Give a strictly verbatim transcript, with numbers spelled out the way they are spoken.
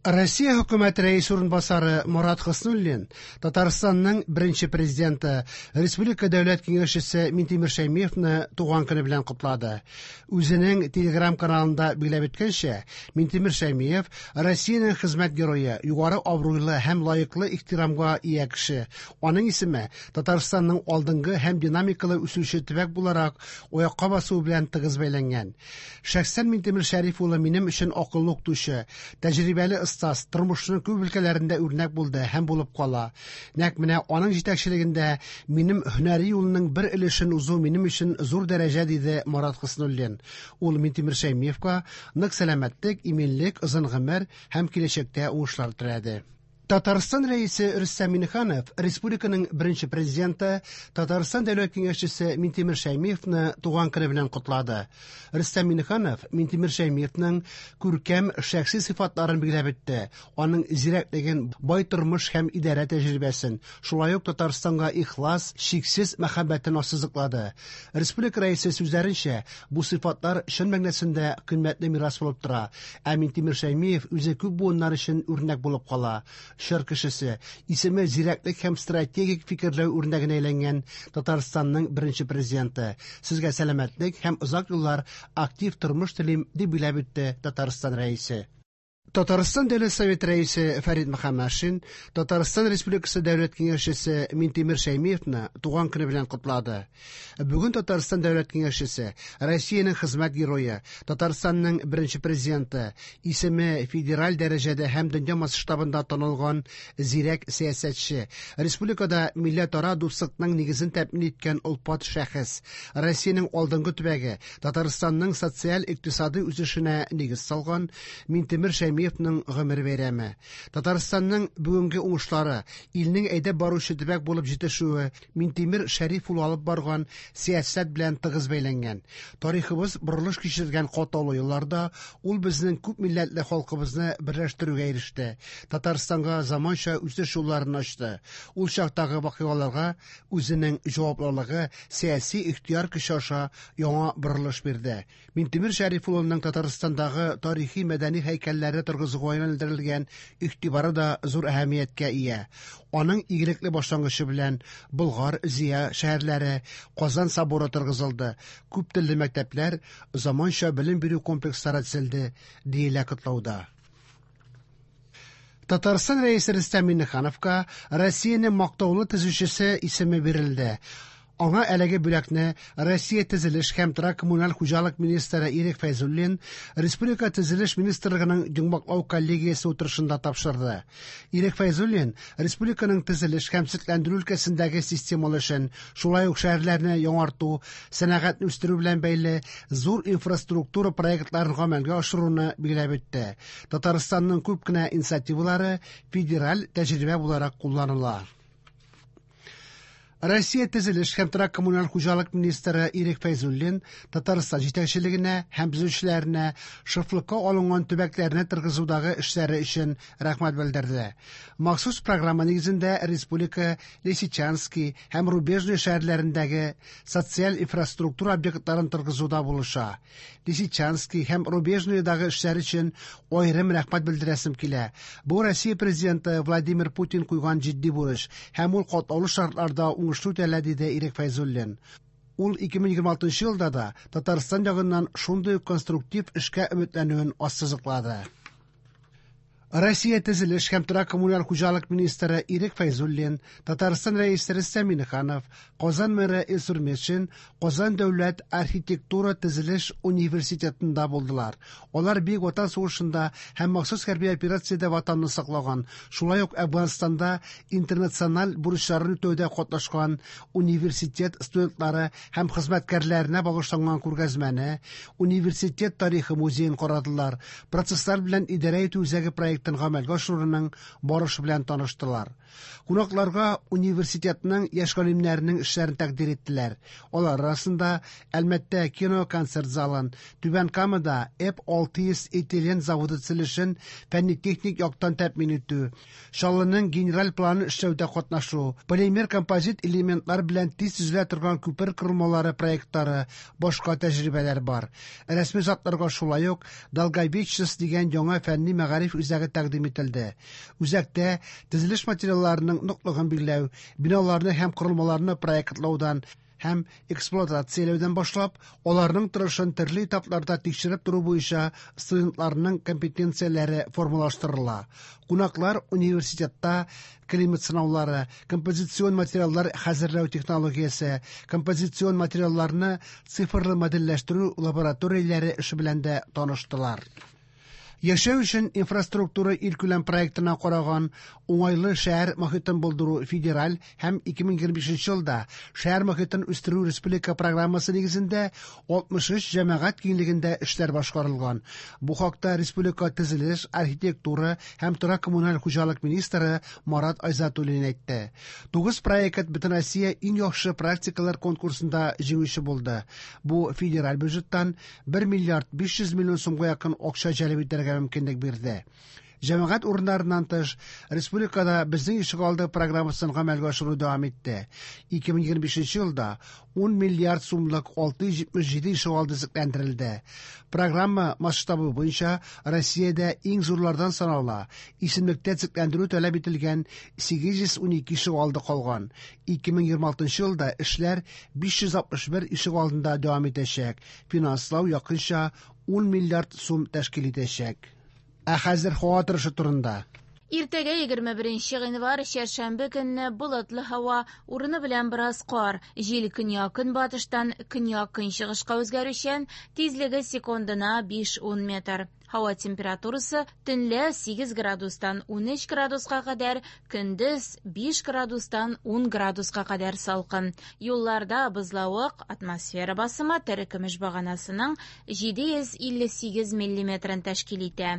Россия хөкүмәте рәисе урынбасары Марат Хөснуллин Татарстанның беренче президенты, Республика Дәүләт Киңәшчесе Минтимер Шәймиевны туган көне белән котлады. Үзенең Телеграм каналында билгеләп үткәнчә, Минтимер Шәймиев Россиянең хезмәт герое, югары абруйлы һәм лаеклы ихтирамга ия кеше. Аның исеме Татарстанның алдынгы һәм динамикалы үсүче төбәк буларак аякка басуы белән тыгыз бәйләнгән. Шәхсән Минтимер Шәриф улы минем өчен акыллы укытучы, тәҗрибәле остаз, тормышның күп өлкәләрендә үрнәк булды һәм булып кала. Нәкъ менә аның җитәкчелегендә минем һөнәри юлының бер өлешен узу минем өчен зур дәрәҗә, диде Марат Хөснуллин. Ул Минтимер Шәймиевка нык сәламәтлек, иминлек, озын гомер һәм киләчәктә уңышлар теләде. Татарстан Рәисе Рөстәм Миңнеханов республиканың беренче президенты, Татарстан Дәүләт Киңәшчесе Минтимер Шәймиевны туган көне белән котлады. Рөстәм Миңнеханов Минтимер Шәймиевның күркәм шәхси сыйфатларын билгеләп үтте. Аның зирәклеген, бай тормыш һәм идарә тәҗрибәсен, шулай ук Татарстанга ихлас, чиксез мәхәббәтен ассызыклады. Республика рәисе сүзләренчә, бу сыйфатлар чын мәгънәсендә кыйммәтле мирас булып тора. Ә Минтимер Шәймиев үзе күп буыннар өчен үрнәк булып кала. Чор кешесе, исеме зирәклек һәм стратегик фикерләү үрнәгенә әйләнгән Татарстанның беренче президенты. Сезгә сәламәтлек һәм озак еллар актив тормыш телим, дип билгеләп үтте Татарстан рәисе. Татарстан Дәүләт Советы рәисе Фәрит Мөхәммәтшин Татарстан Республикасы Дәүләт Киңәшчесе Минтимер Шәймиевны туган көне белән котлады. Бүген Татарстан Дәүләт Киңәшчесе, Россиянең хезмәт герое, Татарстанның беренче президенты, исеме федераль дәрәҗәдә һәм дөнья масштабында танылган зирәк сәясәтче, республикада милләтара дуслыкның нигезен тәэмин иткән олпат шәхес, Россиянең алдынгы төбәге, Татарстанның социаль-икътисади үсешенә нигез салган Минтимер Шәймиевның гомер бәйрәме. Татарстанның бүгенге уңышлары, илнең әйдәп баручы төбәк булып җитешүе Минтимер Шәриф улы алып барган сәясәт белән тыгыз бәйләнгән. Тарихыбыз борылыш кичергән катлаулы елларда ул безнең күп милләтле халкыбызны берләштерүгә иреште. Татарстанга заманча үсеш юлларын ачты. Ул чактагы вакыйгаларга үзенең җаваплылыгы, сәяси ихтыяр көче аша яңа борылыш бирде. Минтимер Шәриф улының Татарстандагы тарихи мәдәни һәйкәлләрне торгызуга юнәлдерелгән игътибары да зур әһәмияткә ия. Аның игелекле башлангычы белән Болгар, Зөя шәһәрләре, Казан соборы торгызылды, күп телле мәктәпләр, заманча белем бирү комплекслары төзелде, диелә котлауда. Татарстан Рәисе Рөстәм Миңнехановка Россиянең мактаулы төзүчесе исеме бирелде. Аңа әлеге бүләкне Россия төзелеш һәм торак коммуналь хуҗалык министры Ирек Фәйзуллин Республика төзелеш министрлыгының йомгаклау коллегиясе утырышында тапшырды. Ирек Фәйзуллин республиканың төзелеш һәм төзекләндерү өлкәсендәге системалы эшен, шулай ук шәһәрләрне яңарту, сәнәгатьне үстерү белән бәйле зур инфраструктура проектларын гамәлгә ашыруны билгеләп үтте. Татарстанның күп кенә инициативалары федераль тәҗрибә буларак кулланыла. Россия төзелеш һәм торак коммуналь хуҗалык министры Ирек Фәйзуллин Татарстан җитәкчелегенә һәм төзүчеләренә шефлыкка алынган төбәкләрне торгызудагы эшләре өчен рәхмәт белдерде. Махсус программа нигезендә республика Лисичанский һәм Рубежный шәһәрләрендәге социаль инфраструктура объектларын торгызуда булыша. Лисичанский һәм Рубежныйдагы эшләр өчен аерым рәхмәт белдерәсем килә. Бу Россия президенты Владимир Путин куйган җитди бурыч һәм ул катлаулы шартларда уңышлы үтәлә, диде Ирек Фәйзуллин. Ул ике мең егерме алтынчы елда да Татарстан ягыннан шундый конструктив эшкә өметләнүен ассызыклады. Россия төзелеш һәм торак коммуналь хуҗалык министры Ирек Фәйзуллин, Татарстан Рәисе Рөстәм Миңнеханов, Казан мэры Илсур Метшин Казан дәүләт архитектура төзелеш университетында булдылар. Алар Бөек Ватан сугышында һәм махсус хәрби операциядә ватанны саклаган, шулай ук Әфганстанда интернациональ бурычларын үтәүдә катнашкан университет студентлары һәм хезмәткәрләренә багышланган күргәзмәне, университет тарихы музеен карадылар, процесслар белән идарә итү үзәге проектын гамәлгә ашыруның барышы белән таныштылар. Кунакларга университетның яшь галимнәренең эшләрен тәкъдир иттеләр. Алар арасында Әлмәттә кино-концерт залын, Түбән Камада Эп алты йөз этилен заводы төзелешен фәнни-техник яктан тәэмин итү, Чаллының генераль планын эшләүдә катнашу, полимер композит элементлар белән тиз төзелә торган күпер корылмалары проектлары, башка тәҗрибәләр бар. Рәсми затларга шулай ук Долговечность дигән яңа фәнни мәгариф үзәге үзәге тәкъдим ителде. Үзәктә төзелеш материалларының ныклыгын билгеләү, биналарны һәм корылмаларны проектлаудан һәм эксплуатацияләүдән башлап, аларның торышын төрле этапларда тикшереп тору буенча студентларның компетенцияләре формалаштырыла. Кунаклар университетта климат сынаулары, композицион материаллар хәзерләү технологиясе, композицион материалларны цифрлы модельләштерү лабораторияләре эше белән дә таныштылар. Яшәү өчен инфраструктура илкүләм проектына караган уңайлы шәһәр мохитен булдыру федераль һәм ике мең егерме бишенче елда шәһәр мохитен үстерү республика программасы нигезендә алтмыш өч җәмәгать киңлегендә эшләр башкарылган. Бу хакта республика төзелеш, архитектура һәм торак коммуналь хуҗалык министры Марат Айзатуллин әйтте. Тугыз проект Бөтенроссия иң яхшы практикалар конкурсында җиңүче булды. Бу федераль бюджеттан бер миллиард биш йөз миллион сумга якын акча җәлеп итәргә мөмкинлек бирде. Җәмәгать урыннарыннан тыш, республикада Безнең ишегалды программасын гамәлгә ашыру дәвам итте. Ике мең егерме бишенче елда ун миллиард сумлык алты йөз җитмеш җиде ишегалды төзекләндерелде. Программа масштабы буенча Россиядә иң зурлардан санала. Исемлектә төзекләндерү таләп ителгән сигез йөз унике ишегалды калган. Ике мең егерме алтынчы елда эшләр биш йөз алтмыш бер ишегалдында дәвам итәчәк. Финанслау якынча ун миллиард сум тәшкил итәчәк. Ә хәзер һава торышы турында. Иртәгә егерме беренче гыйнвар, чәршәмбе көнне болытлы һава, урыны белән бераз кар, җил көньяк-көнбатыштан көньяк-көнчыгышка үзгәрүчән, тизлеге секундына биш-ун метр. Һава температурасы төнлә сигез градустан унөч градуска кадәр, көндез биш градустан ун градуска кадәр салкын. Юлларда бозлавык, атмосфера басымы терекөмеш баганасының җиде йөз илле сигез миллиметрын тәшкил итә.